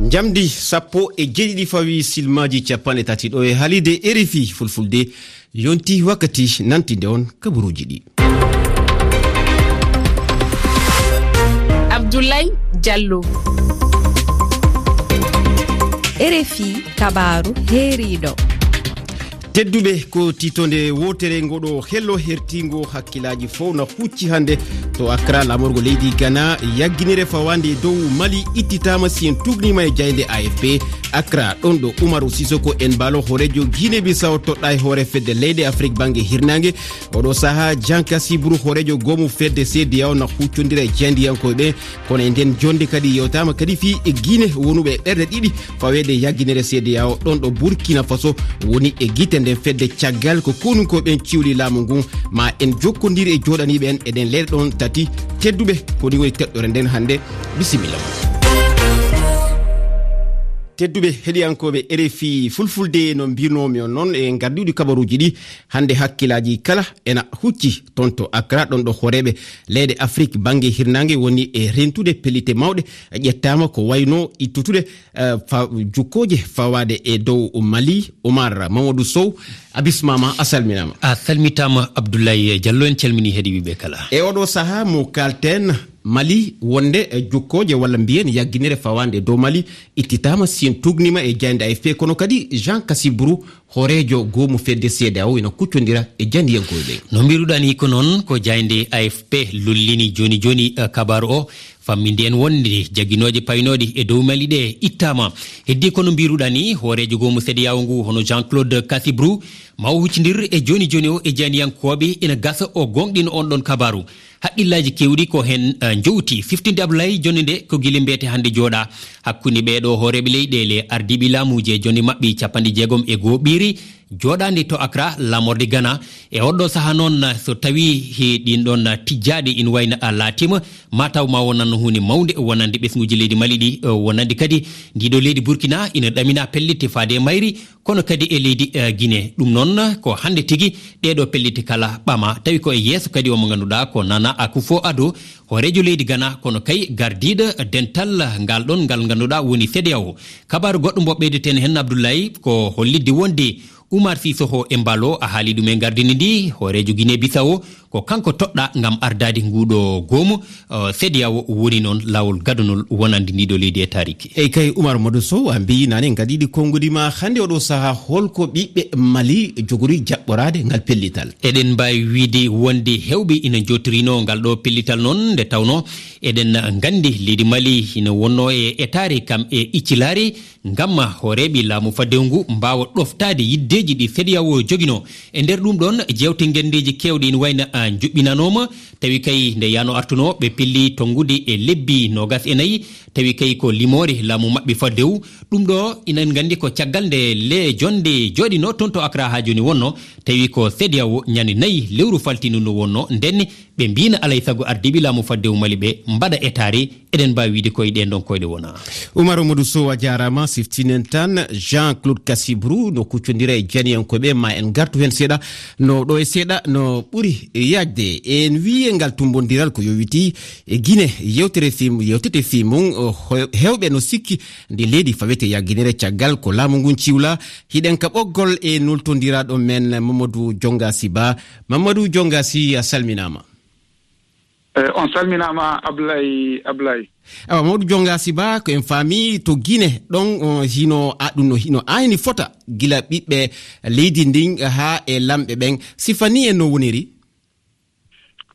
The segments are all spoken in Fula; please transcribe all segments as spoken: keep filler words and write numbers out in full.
Njamdi sappo e jeeɗiɗi fawi silmaaji capanɗe tati ɗo e haalirde R F I Fulfulde, yonti wakkati nantinde on kabaruuji ɗi. Abdoulaye Diallo. R F I kabaaru heeriiɗo. Tedduɓe, ko tiitonde wootere ngoɗo hello hertiingo hakkilaaji fof na hucci hannde to Accra, laamorgo leydi Ghana. Yagginere fawaande dow Mali ittitaama, si en tuugniima e jaaynde A F P. Accra, ɗon ɗo Umaru Sisoko Embalo, hooreejo Guinée Bissau, toɗɗaa e hoore fedde leyɗe Afrik bannge hirnaange. Oɗo sahaa, Jean Cassy Brou, hooreejo goomu fedde C D A O, na huccondira e jaayndiyankooɓe. Kono e nden jonnde kadi yewtaama kadi fii e Guinée wonuɓe e ɓerɗe ɗiɗi faweede e yagginere C D A O, ɗon ɗo Burkina Faso woni e gite nden fedde, caggal ko konunkooɓe ɓen ciwli laamu ngun. Ma en jokkondir e jooɗaniiɓe en e ɗen leyɗe ɗon tati. Tedduɓe, ko ni woni teɗɗore nden hannde. Bisimilla. Tedduɓe heɗiyankooɓe R F I Fulfulde, no mbirnoomi on non, e ngardiiɗi kabaruuji ɗi hannde hakkilaaji kala ena hucci ton to Accra, ɗon ɗo hooreeɓe leyɗe Afrik bannge hirnaange woni e rentude pellitte mawɗe ƴettaama, ko wayno ittutude, eh, fa-, jukkooje fawaade e dow Mali. Omar Mamadou Sow, a bismaama, a salminaama. A salmitaama, Abdoulaye Diallo, en calminii heɗiiɓe kala. E oɗo sahaa mo kaalten, Mali, wonde, eh, jukkooje walla mbiyen yagginere fawaande dow Mali ittitaama, si en tuugniima e jaaynde A F P, kono kadi Jean Cassy Brou, hooreejo goomu fedde C D A O, ina kuccondira e jaayndiyankooɓe ɓen. No mbiruɗaa ni ko noon, ko jaaynde A F P lollini jooni jooni, eh, kabaaru o, famminde en wonde jaginooje paynooɗe e dow Mali ɗe ittaama. Heddii ko no mbiruɗaa ni, hooreejo goomu C D A O ngu, hono Jean Claude Cassy Brou, ma o huccindir e jooni jooni o e jaayndiyankooɓe, ina gasa o gooŋɗina on ɗon kabaaru. Haqqillaaji keewɗi ko heen, eh, njowti. Siftinde Abdoulaye, jonnde nde ko gila mbiyete hannde jooɗaa hakkunde ɓee ɗoo hooreeɓe leyɗeele, ardiiɓe laamuuji e jonnde maɓɓe capanɗe jeegom e goo ɓiire, jooɗaande to Accra, laamorde Ghana. E oɗo sahaa noon, so tawii he ɗiin ɗoon tijjaaɗe ina wayno a laatiima, maa taw ma wonan huunde mawnde wonande ɓesnguuji leydi Mali ɗi, eh, wonande kadi ndii ɗoo leydi Burkina ina ɗaminaa pellitte faade e mayri, kono kadi e leydi, eh, Guinée. Ɗum noon ko hannde tigi ɗee ɗoo pellitte kala ɓama, tawi ko e yeeso kadi o mo ngannduɗaa ko Nana Akufo-Addo, hooreejo leydi Ghana, kono kay gardiiɗo dental ngal ɗon ngal ngannduɗaa woni C D A O. Kabaaru goɗɗo mbo ɓeydeten heen, Abdoulaye, ko hollitde wonde Umar Sissoco Embalo, a haali ɗum e gardini ndi, hooreejo Guinée Bissau, ko kanko toɗɗaa ngam ardaade nguuɗo goomu, eh, C D A O woni noon laawol gadunol wonande ndii ɗoo leydi e taariki. Eyi kay, Umar Mamadou Sow, a mbiyi naane ngadiiɗi konngudi ma hannde oɗo sahaa, holko ɓiɓɓe Mali jogori jaɓɓoraade ngal pellital? Eɗen mbaawi wiyde wonde heewɓe ina njootirinoo ngal ɗoo pellital noon, nde tawnoo eɗen nganndi leydi Mali ina wonnoo e etaare kam e iccilaare, ngam hooreeɓe laamu faddewu ngu mbaawa ɗoftaade yiddeeji ɗi C D A O joginoo. E nder ɗum ɗoon, jeewte ngenndeeji keewɗe ina wayno, ah, njuɓɓinanooma, tawi kay nde yaano artunoo, ɓe pelli tonngude e lebbi noogas e nayi, tawi kay ko limoore laamu maɓɓe faddewu. Ɗum ɗo ina nganndi ko caggal nde le-, jonnde jooɗinoo toon to Accra haa jooni wonnoo, tawi ko C D A O ñande nayi lewru faltiindu ndu wonnoo, ndenne ɓe mbiino alay sago ardiiɓe laamu faddewu Mali ɓe mbaɗa etaare, eɗen mbaawi wiyde koye ɗeen ɗoon koyɗe wona. Umar Mamadou Sow, a jaaraama, siftinen tan Jean Claude Cassy Brou no kuccondira e jaayndiyankooɓe, ma en ngartu heen seeɗa, no ɗo e seeɗa no ɓuri yaajde. En wiyi e ngal tummbondiral ko yowitii e Guinée, yewtere fim-, yewtete fii mum, o, he-, heewɓe no sikki ndi leydi fawete yagginere caggal ko laamu ngun ciwla. Hiɗen ka ɓoggol e nultondiraaɗo men Mamadou Dionga Sy Ba. Mamadou Dionga Sy, a salminaama. Eh, on salminaama, Ablaye, Ablaye. Awa, Mamadou Dionga Sy Ba, ko en faami to Guinée, ɗon, o, hino, a, ɗum no, hino ayni fota gila ɓiɓɓe leydi ndin haa e lamɓe ɓen. Sifa ni en no woniri?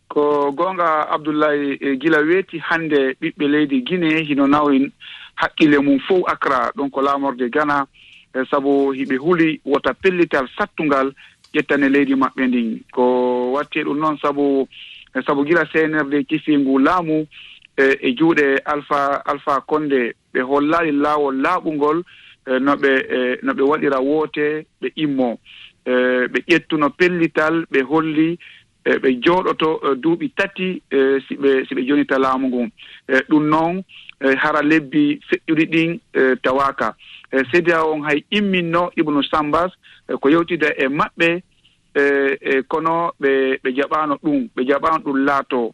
Ko goonga, Abdoulaye, e gila weeti hannde ɓiɓɓe leydi Guinée hino nawri hakkille mum fow Accra, ɗum ko laamorde Ghana, e sabu hiɓe huli wota pellital sattungal ƴettane leydi maɓɓe ndin. Ko watti e ɗum noon sabu, sabu gila C N R D kifi ngu laamu, e, e juuɗe Alpha, Alpha Condé, ɓe hollaali laawol laaɓungol, e, no ɓe, e, no ɓe waɗira woote, ɓe immo. E, ɓe ƴettuno pellital, ɓe holli, e, ɓe jooɗoto, e, duuɓi tati, e, si ɓe, si ɓe jonita laamu ngun. E, ɗum noon, e, hara lebbi feƴƴuɗi ɗin, e, tawaaka. E, C D A O on hay imminno Ibnu Sambas, e, ko yewtida e maɓɓe, e, e, kono ɓe, ɓe jaɓaano ɗum, ɓe jaɓaano ɗum laato.